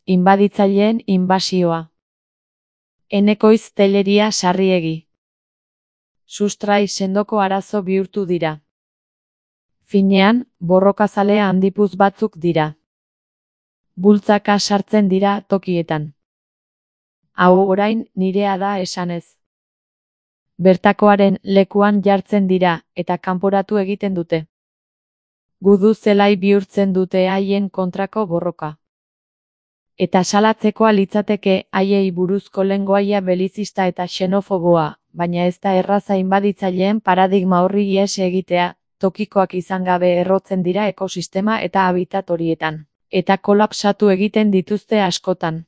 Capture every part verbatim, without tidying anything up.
inbaditzaileen inbasioa. Enekoiz Telleria Sarriegi. Sustrai sendoko arazo bihurtu dira. Finean, borrokazale handipuz batzuk dira. Bultzaka sartzen dira tokietan. Hau orain nirea da esanez. Bertakoaren lekuan jartzen dira eta kanporatu egiten dute. Gudu zelai bihurtzen dute haien kontrako borroka. Eta salatzekoa litzateke haiei buruzko lengoaia belizista eta xenofoboa, baina ez da erraza inbaditzaileen paradigma horri ihes egitea, tokikoak izan gabe errotzen dira ekosistema eta habitat horietan, eta kolapsatu egiten dituzte askotan.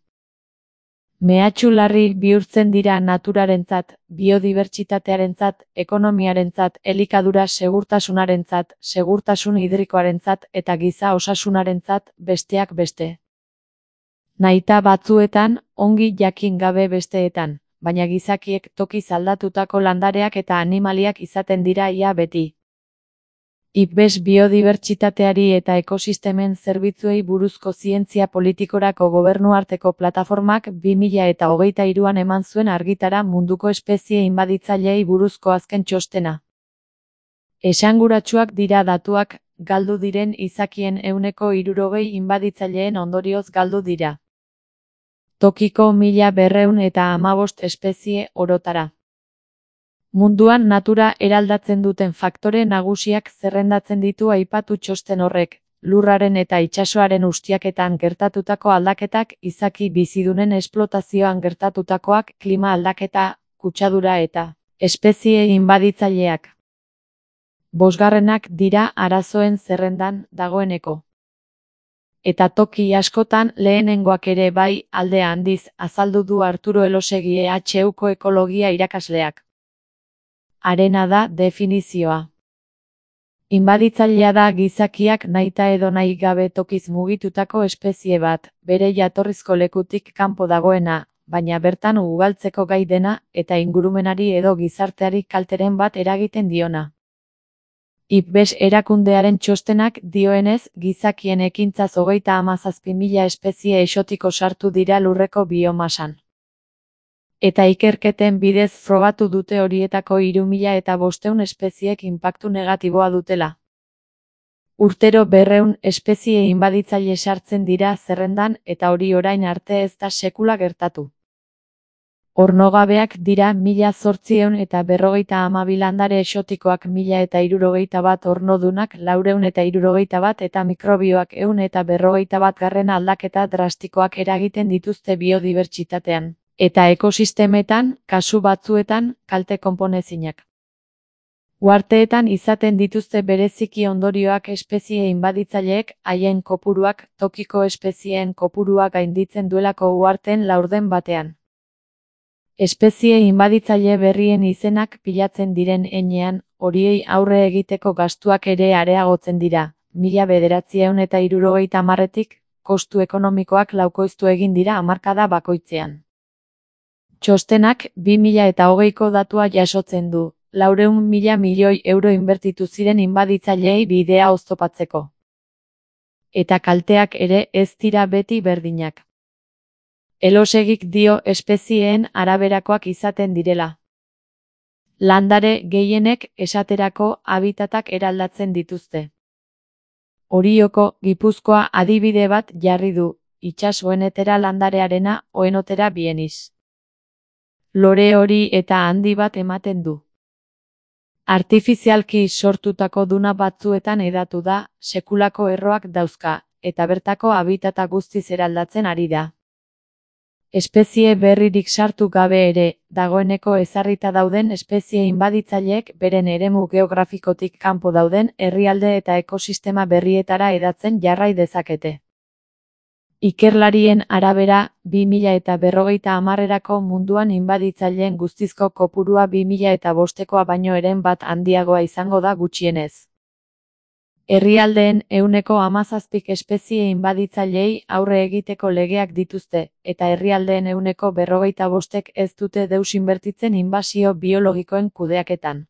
Mehatxu larri bihurtzen dira naturarentzat, biodibertsitatearentzat, ekonomiarentzat, elikadura segurtasunarentzat, segurtasun hidrikoarentzat eta giza osasunarentzat, besteak beste. Nahita batzuetan, ongi jakin gabe besteetan, baina gizakiek tokiz aldatutako landareak eta animaliak izaten dira ia beti. I P B E S biodibertsitateari eta ekosistemen zerbitzuei buruzko zientzia politikorako gobernuarteko plataformak bi mila eta hogeita hiruan eman zuen argitara munduko espezie inbaditzaileei buruzko azken txostena. Esanguratsuak dira datuak, galdu diren izakien ehuneko hirurogei inbaditzaileen ondorioz galdu dira. Tokiko mila berrehun eta hamabost espezie orotara. Munduan natura eraldatzen duten faktore nagusiak zerrendatzen ditu aipatu txosten horrek, lurraren eta itsasoaren ustiaketan gertatutako aldaketak, izaki bizidunen esplotazioan gertatutakoak, klima aldaketa, kutsadura eta espezie inbaditzaileak. Bosgarrenak dira arazoen zerrendan dagoeneko. Eta toki askotan lehenengoak ere bai, alde handiz, azaldu du Arturo Elosegui E H Uko ekologia irakasleak. Harena da definizioa. Inbaditzailea da gizakiak nahita edo nahi gabe tokiz mugitutako espezie bat, bere jatorrizko lekutik kanpo dagoena, baina bertan ugaltzeko gai dena, eta ingurumenari edo gizarteari kalteren bat eragiten diona. I P B E S erakundearen txostenak dioenez, gizakien ekintzaz hogeita hamazazpi mila espezie exotiko sartu dira lurreko biomasan. Eta ikerketen bidez frogatu dute horietako hiru mila eta bostehun espeziek inpaktu negatiboa dutela. Urtero berrehun espezie inbaditzaile sartzen dira zerrendan eta hori orain arte ez da sekula gertatu. Ornogabeak dira mila zortziehun eta berrogeita hamabi landare exotikoak mila eta hirurogeita bat ornodunak laurehun eta hirurogeita bat eta mikrobioak ehun eta berrogeita bat garren aldaketa drastikoak eragiten dituzte biodibertsitatean. Eta ekosistemetan, kasu batzuetan, kalte konponezinak. Uharteetan izaten dituzte bereziki ondorioak espezie inbaditzaileek, haien kopuruak, tokiko espezieen kopurua gainditzen duelako uharteen laurden batean. Espezie inbaditzaile berrien izenak pilatzen diren heinean, horiei aurre egiteko gastuak ere areagotzen dira, mila bederatziehun eta hirurogeita hamarretik, kostu ekonomikoak laukoiztu egin dira hamarkada bakoitzean. Txostenak bi mila eta hogeiko datua jasotzen du, laurehun mila milioi euro inbertitu ziren inbaditzaileei bidea oztopatzeko. Eta kalteak ere ez dira beti berdinak. Elosegik dio espezieen araberakoak izaten direla. Landare gehienek esaterako habitatak eraldatzen dituzte. Orioko, Gipuzkoa adibide bat jarri du, itsasoenetera landarearena, oenotera bieniz. Lore hori eta handi bat ematen du. Artifizialki sortutako duna batzuetan hedatu da, sekulako erroak dauzka, eta bertako habitata guztiz eraldatzen ari da. Espezie berririk sartu gabe ere, dagoeneko ezarrita dauden espezie inbaditzaileek beren eremu geografikotik kanpo dauden herrialde eta ekosistema berrietara hedatzen jarrai dezakete. Ikerlarien arabera, bi mila eta berrogeita hamarrerako munduan inbaditzaileen guztizko kopurua bi mila eta bostekoa baino eren bat handiagoa izango da gutxienez. Herrialdeen ehuneko hamazazpik espezie inbaditzaileei aurre egiteko legeak dituzte, eta herrialdeen ehuneko berrogeita bostek ez dute deus inbertitzen inbasio biologikoen kudeaketan.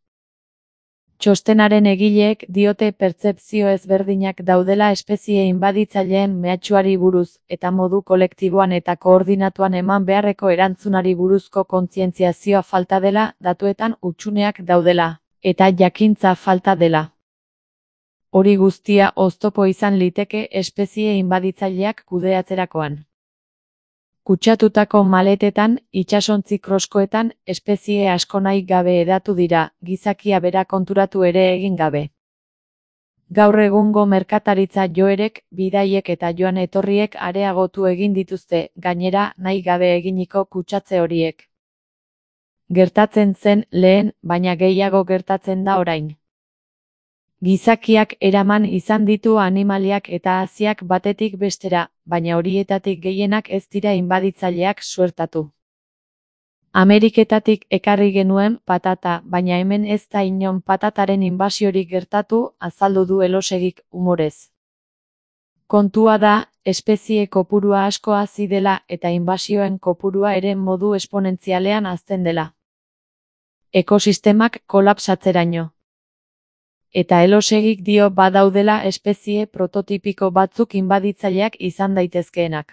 Txostenaren egileek diote pertzepzio ezberdinak daudela espezie inbaditzaileen mehatxuari buruz, eta modu kolektiboan eta koordinatuan eman beharreko erantzunari buruzko kontzientziazioa falta dela, datuetan hutsuneak daudela, eta jakintza falta dela. Hori guztia oztopo izan liteke espezie inbaditzaileak kudeatzerakoan. Kutsatutako maletetan, itsasontzi kroskoetan, espezie asko nahi gabe hedatu dira, gizakia bera konturatu ere egin gabe. Gaur egungo merkataritza joerek, bidaiek eta joan etorriek areagotu egin dituzte, gainera nahi gabe eginiko kutsatze horiek. Gertatzen zen lehen, baina gehiago gertatzen da orain. Gizakiak eraman izan ditu animaliak eta haziak batetik bestera, baina horietatik gehienak ez dira inbaditzaileak suertatu. Ameriketatik ekarri genuen patata, baina hemen ez da inon patataren inbasiorik gertatu, azaldu du Elosegik umorez. Kontua da, espezie kopurua asko hazi dela eta inbasioen kopurua ere modu esponentzialean hazten dela. Ekosistemak kolapsatzeraino. Eta Elosegik dio badaudela espezie prototipiko batzuk inbaditzaileak izan daitezkeenak.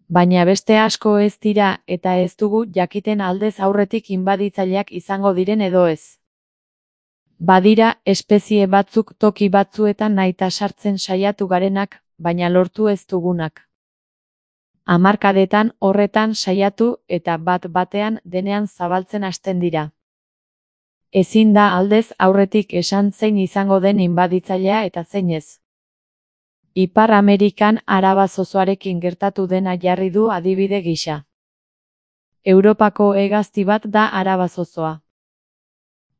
Baina beste asko ez dira eta ez dugu jakiten aldez aurretik inbaditzaileak izango diren edo ez. Badira espezie batzuk toki batzuetan nahita sartzen saiatu garenak, baina lortu ez dugunak. Hamarkadetan horretan saiatu eta bat batean denean zabaltzen hasten dira. Ezin da aldez aurretik esan zein izango den inbaditzailea eta zein ez. Ipar Amerikan araba zozoarekin gertatu dena jarri du adibide gisa. Europako hegazti bat da araba zozoa.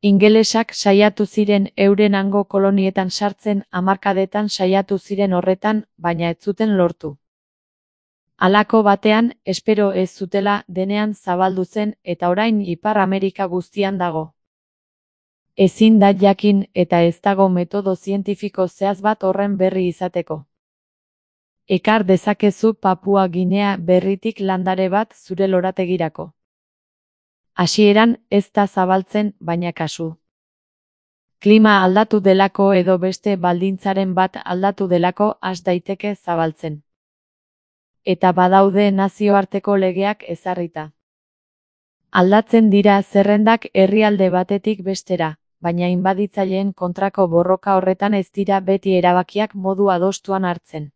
Ingelesak saiatu ziren euren hango kolonietan sartzen, hamarkadetan saiatu ziren horretan, baina ez zuten lortu. Halako batean, espero ez zutela denean zabaldu zen eta orain Ipar Amerika guztian dago. Ezin da jakin eta ez dago metodo zientifiko zehaz bat horren berri izateko. Ekar dezakezu Papua Ginea Berritik landare bat zure lorategirako. Hasieran ez da zabaltzen, baina kasu. Klima aldatu delako edo beste baldintzaren bat aldatu delako has daiteke zabaltzen. Eta badaude nazioarteko legeak ezarrita. Aldatzen dira zerrendak herrialde batetik bestera, baina inbaditzaileen kontrako borroka horretan ez dira beti erabakiak modu adostuan hartzen.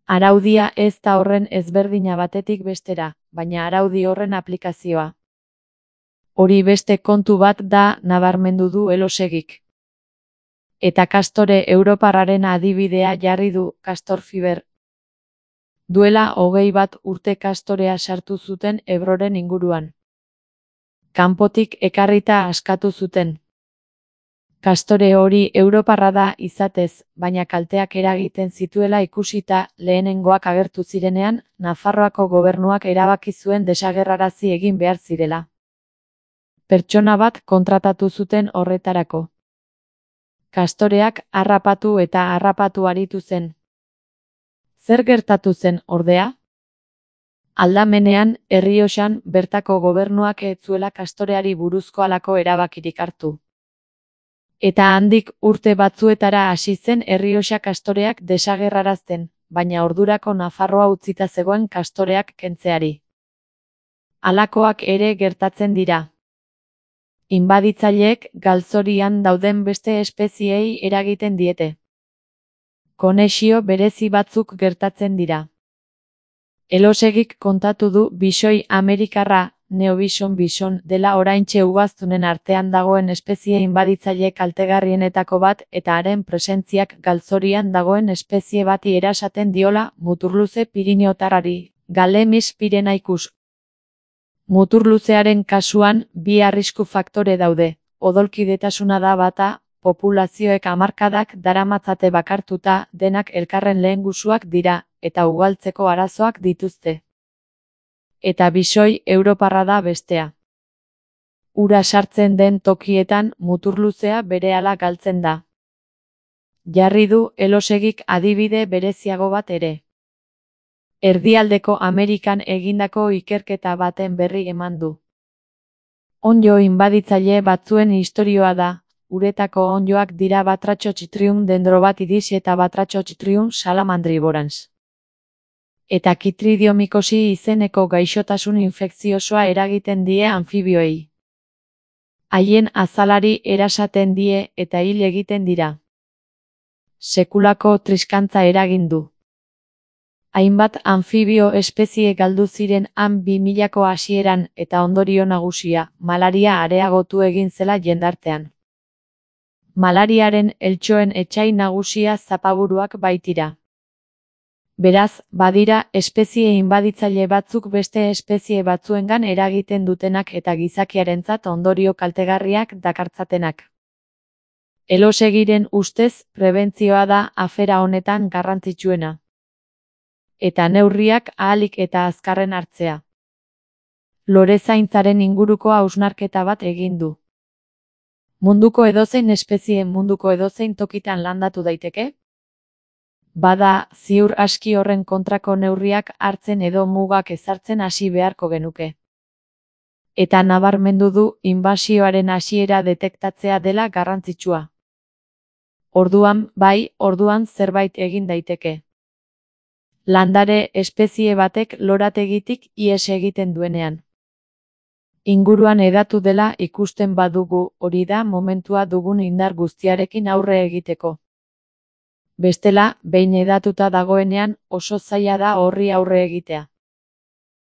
Araudia ez da horren ezberdina batetik bestera, baina araudi horren aplikazioa. Hori beste kontu bat da, nabarmendu du Elosegik. Eta kastore europarraren adibidea jarri du, Castor Fiber. Duela hogei bat urte kastorea sartu zuten Ebroren inguruan. Kanpotik ekarrita askatu zuten. Kastore hori europarra da izatez, baina kalteak eragiten zituela ikusita lehenengoak agertu zirenean, Nafarroako gobernuak erabaki zuen desagerrarazi egin behar zirela. Pertsona bat kontratatu zuten horretarako. Kastoreak harrapatu eta harrapatu aritu zen. Zer gertatu zen, ordea? Aldamenean, Errioxan, bertako gobernuak ez zuela kastoreari buruzko halako erabakirik hartu. Eta handik urte batzuetara hasi zen Errioxa kastoreak desagerrarazten, baina ordurako Nafarroa utzita zegoen kastoreak kentzeari. Halakoak ere gertatzen dira. Inbaditzaileek galzorian dauden beste espeziei eragiten diete. Konexio berezi batzuk gertatzen dira. Elosegik kontatu du bisoi amerikarra, Neobison bison, dela oraintxe ugaztunen artean dagoen espezie inbaditzaile kaltegarrienetako bat eta haren presentziak galzorian dagoen espezie bati erasaten diola muturluze piriniotarrari, Galemis pirenaicus. Muturluzearen kasuan bi arrisku faktore daude, odolkidetasuna da bata, populazioek hamarkadak daramatzate bakartuta, denak elkarren lehengusuak dira, eta ugaltzeko arazoak dituzte. Eta bisoi europarra da bestea. Ura sartzen den tokietan muturluzea berehala galtzen da. Jarri du Elosegik adibide bereziago bat ere. Erdialdeko Amerikan egindako ikerketa baten berri eman du. Onddo inbaditzaile batzuen istorioa da, uretako onddoak dira Batrachotrytium dendrobatidis eta Batrachotrytium salamandriborans. Eta Chytridiomycosis izeneko gaixotasun infekziosoa eragiten die anfibioei. Haien azalari erasaten die eta hil egiten dira. Sekulako triskantza eragin du. Hainbat anfibio espezie galdu ziren han bi milako hasieran eta ondorio nagusia, malaria areagotu egin zela jendartean. Malariaren eltxoen etsai nagusia zapaburuak baitira. Beraz, badira espezie inbaditzaile batzuk beste espezie batzuengan eragiten dutenak eta gizakiarentzat ondorio kaltegarriak dakartzatenak. Elosegiren ustez, prebentzioa da afera honetan garrantzitsuena. Eta neurriak ahalik eta azkarren hartzea. Lorezaintzaren inguruko hausnarketa bat egin du. Munduko edozein espezie munduko edozein tokitan landatu daiteke? Bada, ziur aski horren kontrako neurriak hartzen edo mugak ezartzen hasi beharko genuke. Eta nabarmendu du inbasioaren hasiera detektatzea dela garrantzitsua. Orduan, bai, orduan zerbait egin daiteke. Landare espezie batek lorategitik ihes egiten duenean. Inguruan hedatu dela ikusten badugu, hori da momentua dugun indar guztiarekin aurre egiteko. Bestela, behin hedatuta dagoenean, oso zaila da horri aurre egitea.